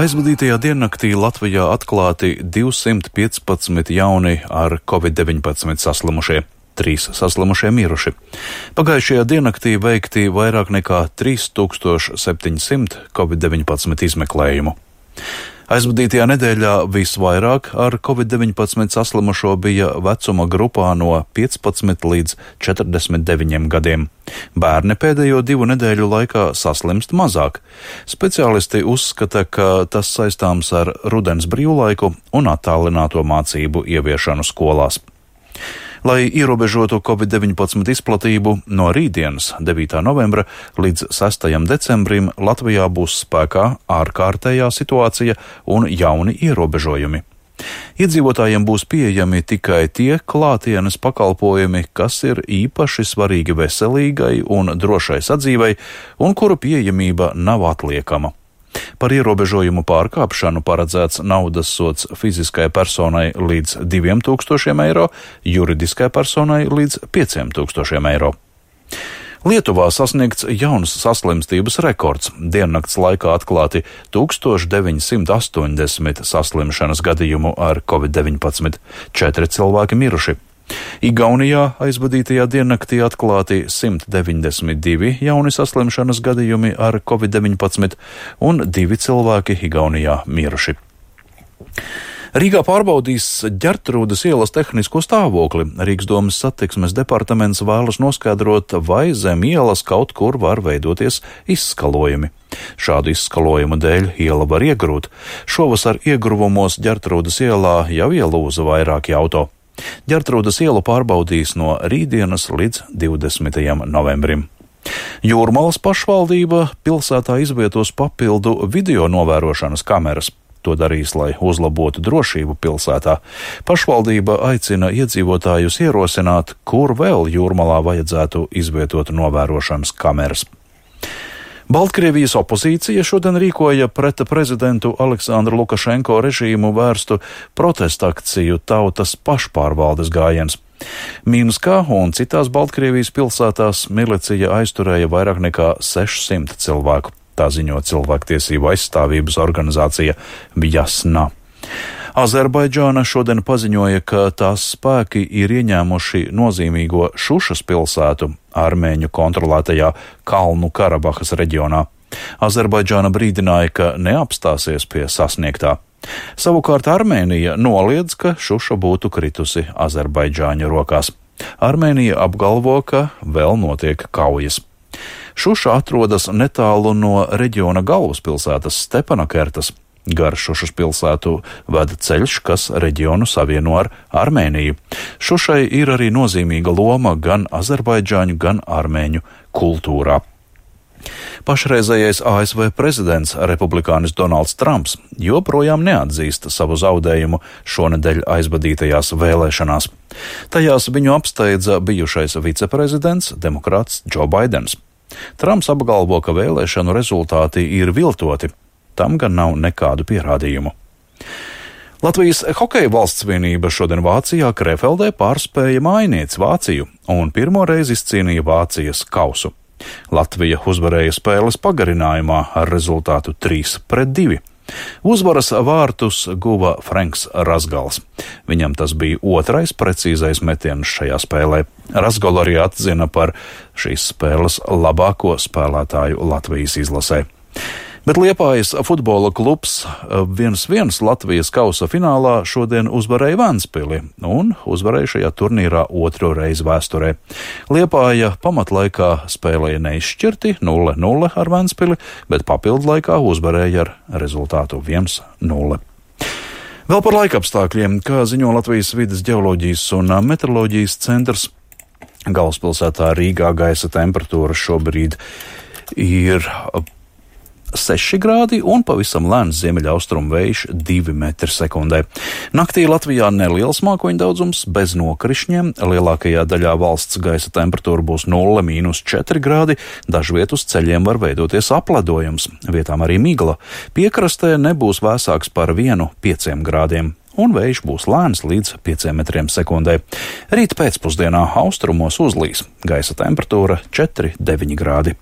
Aizvadītajā diennaktī Latvijā atklāti 215 jauni ar Covid-19 saslimušie, 3 saslimušie miruši. Pagājušajā diennaktī veikti vairāk nekā 3700 Covid-19 izmeklējumu. Aizvadītajā nedēļā visvairāk ar Covid-19 saslimušo bija vecuma grupā no 15 līdz 49 gadiem. Bērni pēdējo 2 nedēļu laikā saslimst mazāk. Speciālisti uzskata, ka tas saistāms ar rudens brīvlaiku un attālināto mācību ieviešanu skolās. Lai ierobežotu Covid-19 izplatību, no rītdienas 9. novembra līdz 6. decembrim Latvijā būs spēkā ārkārtējā situācija un jauni ierobežojumi. Iedzīvotājiem būs pieejami tikai tie klātienes pakalpojumi, kas ir īpaši svarīgi veselīgai un drošai sadzīvei un kuru pieejamība nav atliekama. Par ierobežojumu pārkāpšanu paredzēts naudas sods fiziskai personai līdz 2000 eiro, juridiskai personai līdz 5000 eiro. Lietuvā sasniegts jauns saslimstības rekords. Diennakts laikā atklāti 1980 saslimšanas gadījumu ar Covid-19, 4 cilvēki miruši. Igaunijā aizvadītajā diennaktī atklāti 192 jauni saslimšanas gadījumi ar Covid-19 un 2 cilvēki Igaunijā miruši. Rīgā pārbaudīs Ģertrūdes ielas tehnisko stāvokli. Rīgas domas satiksmes departaments vēlas noskaidrot, vai zem ielas kaut kur var veidoties izskalojumi. Šādu izskalojumu dēļ iela var iegrūt. Šovasar iegruvumos Ģertrūdes ielā jau ielūza vairāki auto. Ģertrūdes ielu pārbaudīs no rītdienas līdz 20. novembrim. Jūrmalas pašvaldība pilsētā izvietos papildu video novērošanas kameras. To darīs, lai uzlabotu drošību pilsētā. Pašvaldība aicina iedzīvotājus ierosināt, kur vēl Jūrmalā vajadzētu izvietot novērošanas kameras. Baltkrievijas opozīcija šodien rīkoja pret prezidentu Aleksandru Lukašenko režīmu vērstu protestakciju Tautas pašpārvaldes gājiens. Minskā un citās Baltkrievijas pilsētās milicija aizturēja vairāk nekā 600 cilvēku. Tā ziņo cilvēktiesību aizstāvības organizācija Vjasna. Azerbaidžāna šodien paziņoja, ka tās spēki ir ieņēmuši nozīmīgo Šušas pilsētu armēņu kontrolētajā Kalnu Karabahas reģionā. Azerbaidžāna brīdināja, ka neapstāsies pie sasniegtā. Savukārt Armēnija noliedz, ka Šuša būtu kritusi Azerbaidžāņu rokās. Armēnija apgalvo, ka vēl notiek kaujas. Šuša atrodas netālu no reģiona galvaspilsētas Stepanakertas. Gar Šušas pilsētu veda ceļš, kas reģionu savieno ar Armēniju. Šušai ir arī nozīmīga loma gan azerbaidžāņu, gan armēņu kultūrā. Pašreizējais ASV prezidents, republikānis Donalds Trumps, joprojām neatzīst savu zaudējumu šonedēļ aizvadītajās vēlēšanās. Tajās viņu apsteidza bijušais viceprezidents, demokrāts Džo Baidens. Trumps apgalvo, ka vēlēšanu rezultāti ir viltoti. Tam gan nav nekādu pierādījumu. Latvijas hokeja valsts vienība šodien Vācijā Krefeldē pārspēja mājinieci Vāciju un pirmo reizi izcīnīja Vācijas kausu. Latvija uzvarēja spēles pagarinājumā ar rezultātu 3-2. Uzvaras vārtus guva Franks Razgals. Viņam tas bija 2. precīzais metiens šajā spēlē. Razgalu arī atzina par šīs spēles labāko spēlētāju Latvijas izlasē. Bet Liepājas futbola klubs 1-1 Latvijas kausa finālā šodien uzvarēja Ventspili un uzvarēja šajā turnīrā 2. reizi vēsturē. Liepāja pamatlaikā spēlēja neizšķirti 0-0 ar Ventspili, bet papildu laikā uzvarēja ar rezultātu 1-0. Vēl par laikapstākļiem, kā ziņo Latvijas vides ģeoloģijas un meteoroloģijas centrs, galvaspilsētā Rīgā gaisa temperatūra šobrīd ir 6 grādi un pavisam lēns ziemeļaustrumu vējš 2 metri sekundē. Naktī Latvijā neliels mākoņu daudzums bez nokrišņiem. Lielākajā daļā valsts gaisa temperatūra būs 0–4 grādi. Dažviet uz ceļiem var veidoties apledojums, vietām arī migla. Piekrastē nebūs vēsāks par 1–5 grādiem. Un vējš būs lēns līdz 5 metriem sekundē. Rīt pēcpusdienā austrumos uzlīs. Gaisa temperatūra 4–9 grādi.